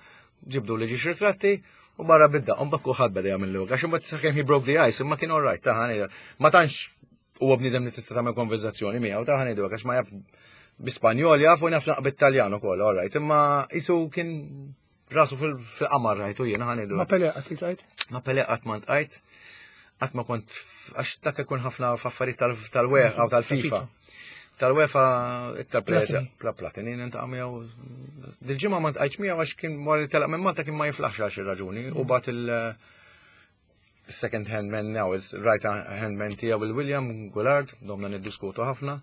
ġibdu li ġiex ritratti u barra bidda, u mbagħad kulħadd beda jagħmel għax imbagħad sakemm he broke the ice, imma kien all right, ta' ħani. Ma tantx huwa bniedem li tista' tagħmel konverzazzjoni miegħu ta' ħani għax ma jaf bi-Spanjol jaf u jaf naqra bit-Taljan ukoll, all right, imma isu kien Rasu fil-qamar rajtu jiena ħa ngħidu. Ma Pele qatt iltqajt? Ma Pele qatt ma ltqajt. Qatt ma kont għax dak ikun ħafna f'affarijiet tal-UEFA u tal-FIFA. Tal-UEFA iktar players pla Platini nintaqa' miegħu. Dil-ġimgħa ma ntqajtx miegħu għax kien wara li telaq minn Malta kien ma jiflaħx għal xi raġuni u bat il- second hand man now, il-right hand man tiegħu il-William Goulart, domna niddiskutu ħafna,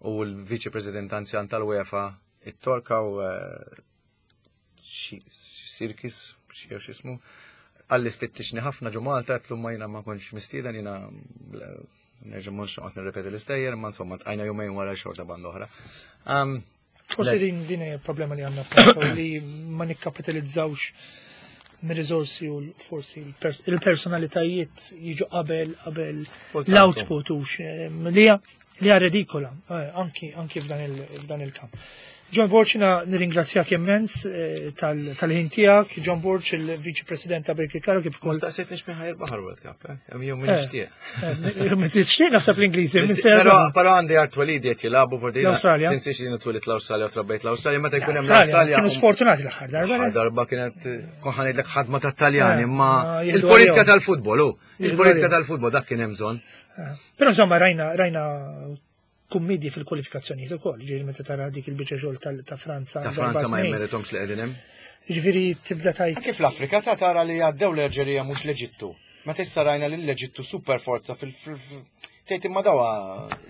u l-Viċi President anzjan tal-UEFA it-Torka u eh, Sirkis, xi x'ismu, qalli tfittixni ħafna ġo Malta, għedtlu ma jiena ma kontx mistieden jiena nerġa' mhux noqgħod nirrepeti l-istejjer, imma insomma tqajna jumejn wara xorta banda oħra. Forsi din din hija problema li għandna f'Malta li ma nikkapitalizzawx mir-riżorsi u forsi il-personalitajiet jiġu qabel qabel l-output u li Li hija redikola, eh, anki, anki f'dan il-kamp. John Borg, jina nirringrazzjak immens eh, tal-ħin tiegħek. John Borg, il-Viċi President ta' Birkirkara kif ukoll. Staqsejt nix minn ħajr baħar World Cup, eh? Jew minn eh, nixtieq. Minn tixtieq naħseb l-Ingliżi. Però għandi għar twelidi qed jilagħbu fordi. L-Awstralja. Tinsiex li twelid l-Awstralja u trabbejt l-Awstralja meta jkun hemm l-Awstralja. Kienu sfortunati l-aħħar darba. L-aħħar darba kienet kon ħanejdlek ħadma tat-Taljani, imma il-politika tal-futbol hu. Il-politika tal-futbol dak kien hemm bżonn. Eh, però insomma rajna rajna kummedji fil-kwalifikazzjonijiet ukoll, ġifieri meta tara dik il-biċċa xogħol ta' Franza. Ta' Franza ma jmeritomx li qegħdin hemm. Ġifieri tibda tajt. Kif l-Afrika ta' tara li għaddew l-Alġerija mhux l-Eġittu. Meta issa rajna li l-Eġittu super forza fil tgħid imma dawa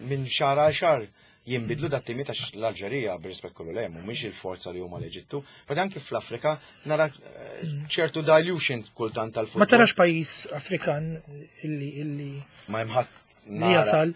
minn xahar għal xahar jinbidlu dat timiet għax l-Alġerija bir-rispett kollu lejhom mhumiex il-forza li huma l-Eġittu. But anki fl-Afrika nara eh, ċertu dilution kultant tal-futbol. Ma tarax pajjiż Afrikan illi illi ma hemm ħadd li jasal.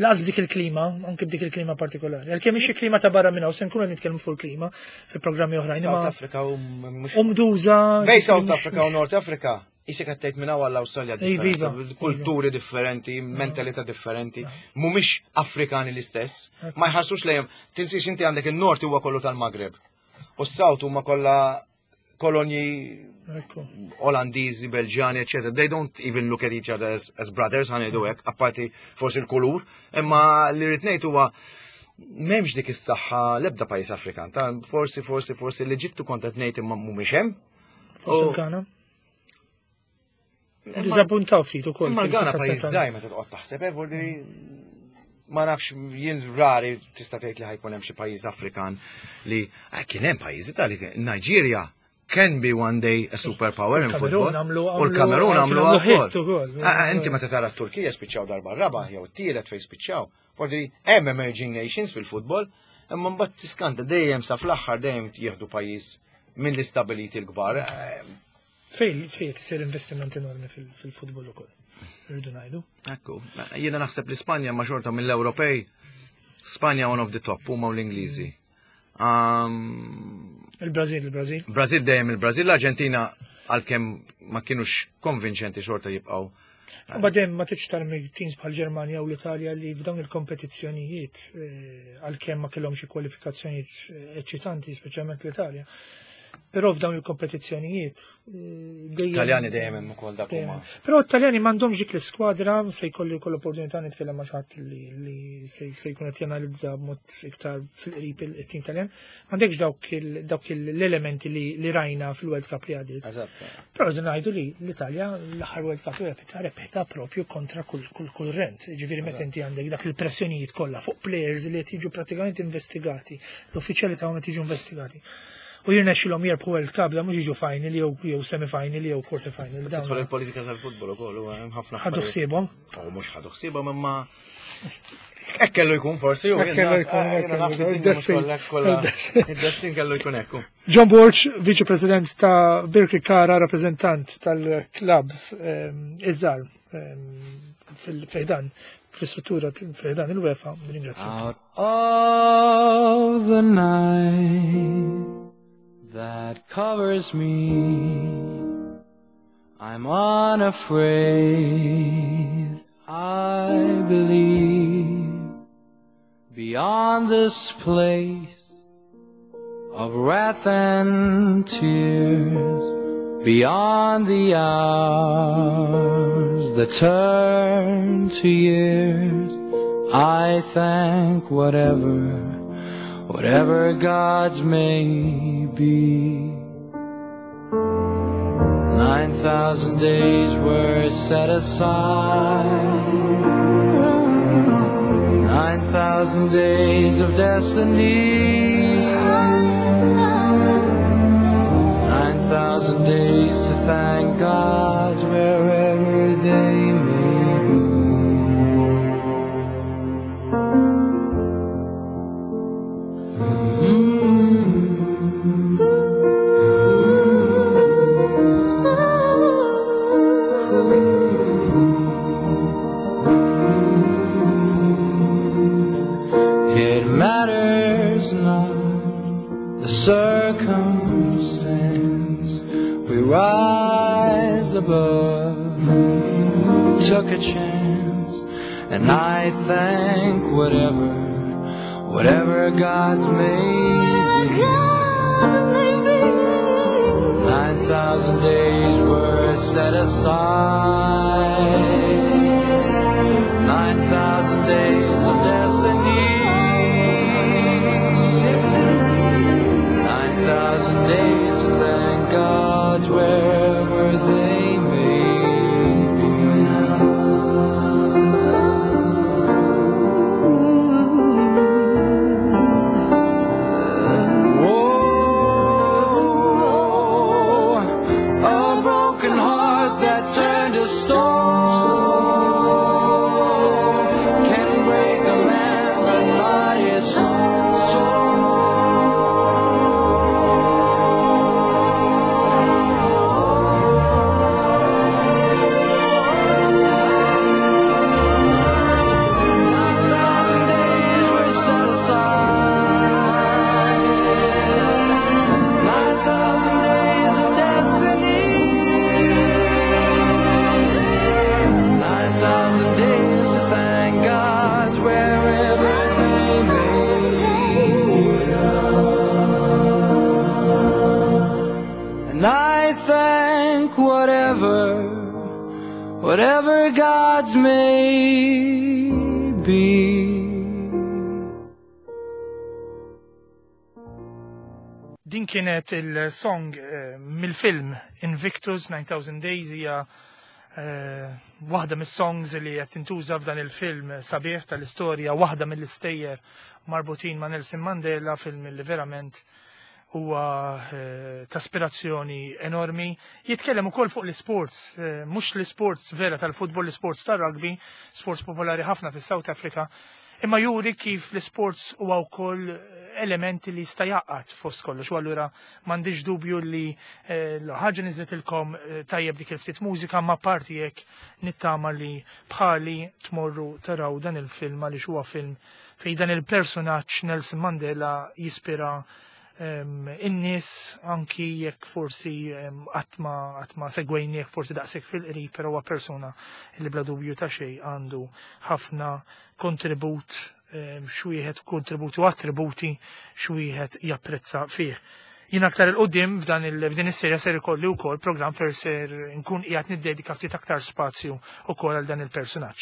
Laqas b'dik il-klima, anke b'dik il-klima partikolari. Għalkemm xi klima ta' barra minn hawn se nkunu nitkellmu fuq il-klima fi programmi oħrajn. South Africa u mhux. Umduża. Bej South Africa u North Africa Isek qed tgħid minn hawn għall-Awstralja differenza, kulturi differenti, mentalità differenti, mhumiex Afrikani l-istess, ma jħassux lejhom. Tinsiex inti għandek il-Nord huwa kollu tal-Magreb. U s-South huma kollha kolonji Olandiżi, Belġjani, etc. They don't even look at each other as, as brothers, ħanejdu hekk, apparti forsi l-kulur, imma li rrid ngħid huwa m'hemmx dik is-saħħa l-ebda pajjiż Afrikan. Ta' forsi, forsi, forsi l-Eġittu kont qed ngħid imma mhumiex hemm. Forsi l-Ghana. Dizappuntaw ftit ukoll. Imma l-Ghana pajjiż żgħir meta toqgħod taħseb, eh, vuol ma nafx jien rari tista' tgħid li ħajkun hemm xi pajjiż Afrikan li eh, kien hemm pajjiżi tal Nigeria can be one day a superpower in football. U l-Kamerun għamlu wkoll. Eh, inti meta tara t-Turkija spiċċaw darba raba jew t-tielet fejn spiċċaw. Vordi hemm emerging nations fil-futbol, imma mbagħad tiskanta dejjem sa fl-aħħar dejjem jieħdu pajjiż mill-istabiliti l-kbar. Eh, Fej, fej tisir investiment enormi fil-futbol ukoll. Rridu ngħidu. Ekku, jiena naħseb li Spanja ma xorta mill-Ewropej, Spanja one of the top, huma u l-Ingliżi. Um, Il-Brażil, il-Brażil. Brażil dejjem il-Brażil, l-Arġentina għalkemm ma kienux konvinċenti xorta jibqgħu. Badem ma tiġ tarmi teams bħal Ġermanja u l-Italja li f'dawn il-kompetizzjonijiet eh, għalkemm ma kellhom xi kwalifikazzjonijiet eh, eċċitanti, speċjalment l-Italja. Però f'dawn il-kompetizzjonijiet eh, dejjem. Taljani dejjem hemm ukoll dak huma. Però t-Taljani m'għandhomx dik l-iskwadra se jkolli wkoll opportunità nitkellem ma' xi ħadd li se jkun qed janalizza b'mod iktar fil-qrib it-tim Taljan. M'għandekx dawk l-elementi li rajna fil-World Cup li għadiet. Eżatt. Però rridu ngħidu li l-Italja l-aħħar World Cup li rebħitha rebħitha propju kontra kull kurrent. Ġifieri meta inti għandek dak il-pressjonijiet kollha fuq players li qed jiġu pratikament investigati, l-uffiċjali tagħhom qed jiġu investigati. U jirnexxilhom jirbħu World Cup da mhux jiġu final jew jew semi final jew quarter final. Dawn Tidħol il-politika tal-futbol ukoll huwa hemm ħafna. Ħadu ħsiebhom. U mhux ħadu ħsiebhom imma hekk kellu jkun forsi u Hekk kellu jkun, hekk kellu jkun. Il-destin. Il-destin kellu jkun hekk. John Borg, Viċi President ta' Birkirkara, rappreżentant tal-klabs ehm, iż-żgħar ehm, fil-fejdan fl-istruttura fil-ħdan il-UEFA, ringrazzja. Out of the night that covers me, I'm unafraid, I believe. Beyond this place of wrath and tears, beyond the hours that turn to years, I thank whatever, whatever gods may be. 9,000 days were set aside. 9,000 days of destiny. 9,000 days to thank God wherever they may be. It matters not the circumstance. We rise above, took a chance, and I thank whatever, whatever God's made be. 9,000 days were set aside. 9,000 days of destiny. 9,000 days to thank God wherever they may be. Whoa, a broken heart that turned to stone can break a man, but not his soul. 9,000 days were set aside. 9,000 days of destiny. 9,000 days to thank God wherever they may be. And I thank whatever, whatever God's may be. Din kienet il-song mill-film Invictus 9000 Days, hija waħda mis-songs li qed tintuża f'dan il-film sabiħ tal-istorja, waħda mill-istejjer marbutin ma' Nelson Mandela, film li verament huwa ta' aspirazzjoni enormi. Jitkellem ukoll fuq l-sports, mhux l-sports vera tal-futbol, l-sports tar-rugby, sports popolari ħafna fis-South Africa, imma juri kif l-sports huwa wkoll elementi li jista' jgħaqqad fost kollox. U allura m'għandix dubju li l-ħaġa niżletilkom tajjeb dik il-ftit mużika, ma parti jekk nittama li bħali tmorru taraw dan il-film, għaliex huwa film fejn dan il-personaġġ Nelson Mandela jispira in-nies, anki jekk forsi qatt ma segwejnieh forsi daqshekk fil-qrib, però huwa persuna li bla dubju ta' xejn għandu ħafna kontribut, xwieħed kontributi u attributi xwieħed japprezza fih. Jien aktar il-qudiem f'din is-serja ser ikolli wkoll programm fer ser nkun qiegħed niddedika ftit aktar spazju wkoll għal dan il-personaġġ.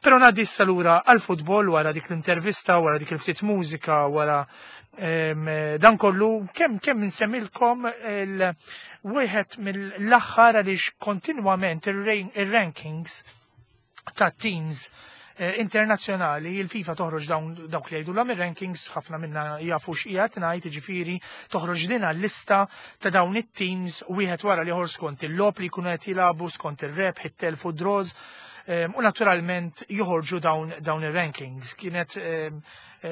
Però ngħaddi issa lura għall-futbol wara dik l-intervista, wara dik il-ftit mużika, wara dan kollu, kemm insemmilkom il-wieħed mill-aħħar, għaliex kontinwament ir-rankings ta' teams internazzjonali, il-FIFA toħroġ dawn dawk li jgħidu l rankings, ħafna minna jafu x'qiegħed ngħid, jiġifieri toħroġ din lista ta' dawn it-teams wieħed wara l-ieħor skont il-logħob li jkunu qed jilagħbu, skont ir-rebħ, it-telf u draws, u naturalment joħorġu dawn ir-rankings. Kienet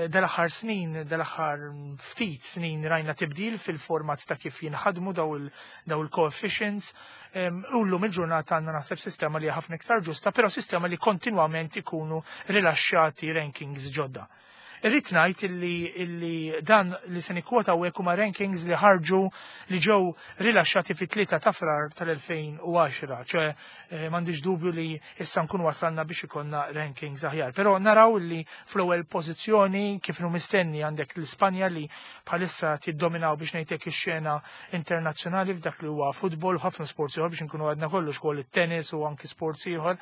dal-aħħar snin, dal-aħħar ftit snin rajna tibdil fil-format ta' kif jinħadmu daw il-coefficients. U llum il-ġurnata għandna naħseb sistema li ħafna iktar ġusta, però sistema li kontinwament ikunu rilaxxati rankings ġodda. Irrid ngħid illi dan li se nikkwota hawnhekk huma rankings li ħarġu, li ġew rilaxxati fit-3 ta' Frar tal-2010, ċe m'għandix dubju li issa nkunu wasalna biex ikollna rankings aħjar. Però naraw li fl-ewwel pożizzjoni, kif inhu mistenni, għandek l-Ispanja li bħalissa tiddominaw, biex ngħidlek, ix-xena internazzjonali f'dak li huwa futbol u ħafna sports ieħor, biex nkunu għadna kollox ukoll it-tennis u anki sports ieħor.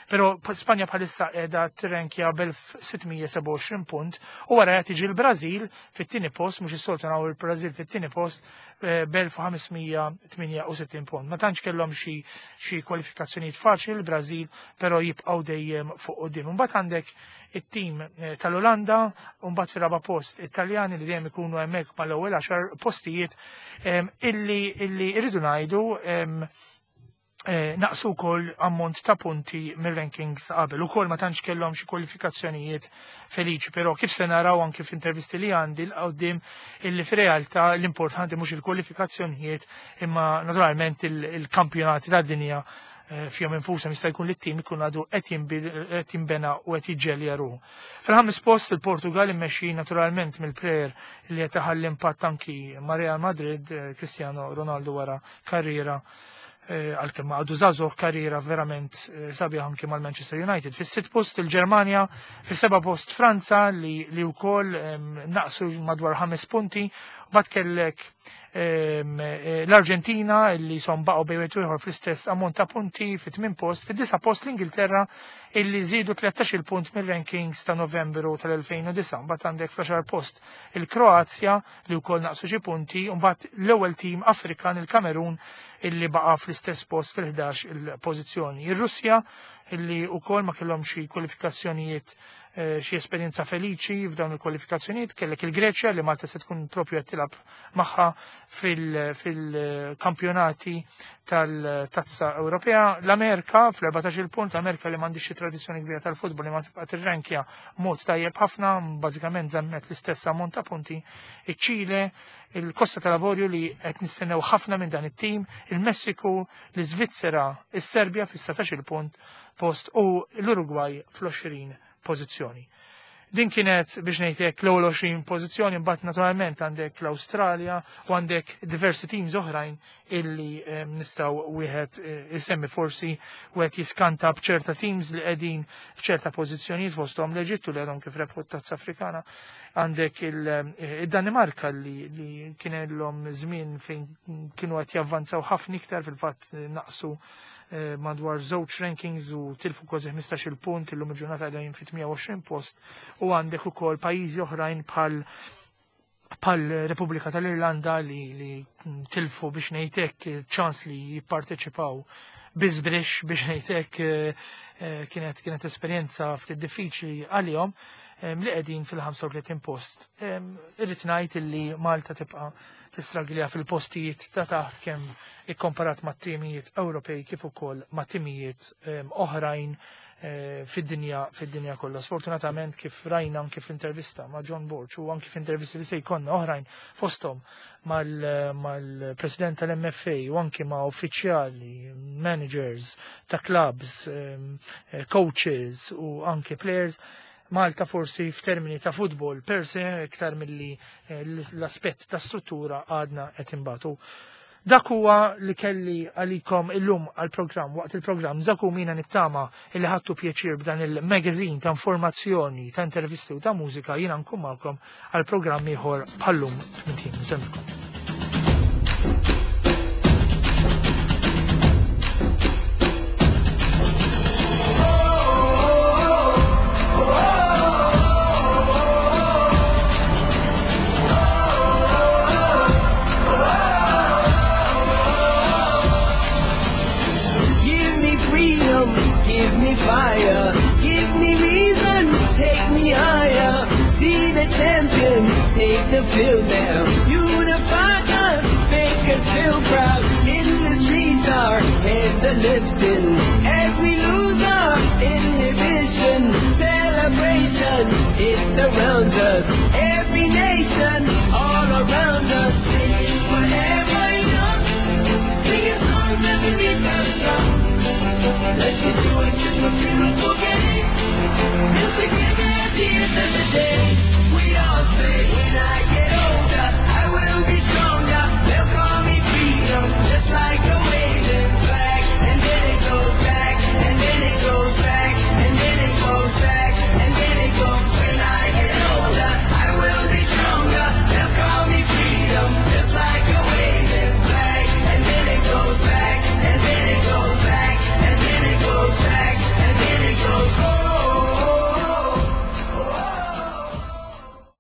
Però Spanja bħalissa qiegħda trenkja b'1627 punt. U wara qed tiġi l-Brażil fit-tieni post, mhux is-soltu naraw il-Brażil fit-tieni post b'1568 punt. Ma tantx kellhom xi kwalifikazzjonijiet faċli l-Brażil, però jibqgħu dejjem fuq quddiem. Imbagħad għandek it-tim tal-Olanda, u mbagħad fir-raba' post Italjani li dejjem ikunu hemmhekk mal-ewwel 10 postijiet illi irridu ngħidu naqsu wkoll ammont ta' punti mir-rankings qabel. Ukoll ma tantx kellhom xi kwalifikazzjonijiet feliċi, però kif se naraw anki f'intervisti li għandi 'l quddiem illi fir-realtà l-importanti mhux il-kwalifikazzjonijiet imma naturalment il-kampjonati tad-dinja fihom infushom jista' jkun li t-tim ikun għadu qed jinbena u qed jiġġelja ruħu. Fil-ħames post il-Portugal immexxi naturalment mill-player li qed iħalli impatt anki ma' Real Madrid, Cristiano Ronaldo, wara karriera, għalkemm għadu żagħżugħ, karriera verament sabiħ anki mal-Manchester United. Fis-sitt post il-Ġermanja, fis-seba' post Franza li wkoll naqsu madwar 5 punti, bat kellek l-Arġentina li son baqgħu bejn wieħed u ieħor fl-istess ammont ta' punti fit-tmien post, fid-disa' post l-Ingilterra illi żiedu 13 punt mir-rankings ta' Novembru tal-2009. Mbagħad għandek fl-10 post il-Kroazja li wkoll naqsu xi punti, u mbagħad l-ewwel tim Afrikan, il-Kamerun, illi baqa' fl-istess post fil-11 il-pożizzjoni. Ir-Russja illi wkoll ma kellhom xi kwalifikazzjonijiet, xi esperjenza feliċi f'dawn il-kwalifikazzjonijiet, kellek il-Greċja li Malta se tkun propju qed tilgħab magħha fil-kampjonati tal-Tazza Ewropea. L-Amerika fl-14 il punt, l-Amerika li m'għandix xi tradizzjoni kbira tal-futbol li ma tibqa' tirrankja mod tajjeb ħafna, bażikament żammet l-istess ammont ta' punti. Iċ-Ċile, il-Kosta tal-Avorju li qed nistennew ħafna minn dan it-tim, il-Messiku, l-Iżvizzera, is-Serbja fis-17 il-punt post u l-Urugwaj fl-20 pożizzjoni. Din kienet biex ngħidlek l-ewwel 20 pożizzjoni, mbagħad naturalment għandek l-Awstralja u għandek diversi teams oħrajn illi nistgħu wieħed isemmi, forsi wieħed jiskanta b'ċerta teams li qegħdin f'ċerta pożizzjonijiet, fosthom l-Eġittu li għadhom kif rebħu t-Tazza Afrikana. Għandek il-Danimarka li kien illhom żmien fejn kienu qed javvanzaw ħafna iktar, fil-fatt naqsu madwar żewġ rankings u tilfu kważi 15-il punt, illum il-ġurnata qegħdin fi 28 post, u għandek ukoll pajjiżi oħrajn bħal Repubblika tal-Irlanda li tilfu biex ngħidlek ċans li jipparteċipaw biżbrix biex ngħidlek, kienet esperjenza ftit diffiċli għalihom, li qegħdin fil-35 post. Irrid ngħid illi Malta tibqa' tistraglja fil-postijiet ta' taħt kemm ikkomparat ma' timijiet Ewropej kif ukoll ma' timijiet oħrajn fid-dinja kollha. Sfortunatament kif rajna anki fl-intervista ma' John Borg u anki f'intervisti li se jkollna oħrajn fosthom mal-president tal-MFA u anki ma' uffiċjali, managers ta' clubs, coaches u anki players, Malta forsi f'termini ta' futbol per se iktar milli l-aspett ta' struttura għadna qed imbatu. Dak huwa li kelli għalikom illum għal-programm, waqt il-programm Żagħżugħ. Nittama illi ħadtu pjaċir b'dan il-magazine ta' informazzjoni, ta' intervisti u ta' mużika. Jiena nkun magħkom għal-programm ieħor bħallum tmintin. Nsellmilkom. Give me freedom, give me fire, give me reason, take me higher. See the champions take the field now. Unify us, make us feel proud. In the streets, our heads are lifting as we lose our inhibition. Celebration, it surrounds us. Every nation, all around us, singing forever young, singing songs underneath the sun. Let's rejoice in the beautiful game. And together at the end of the day.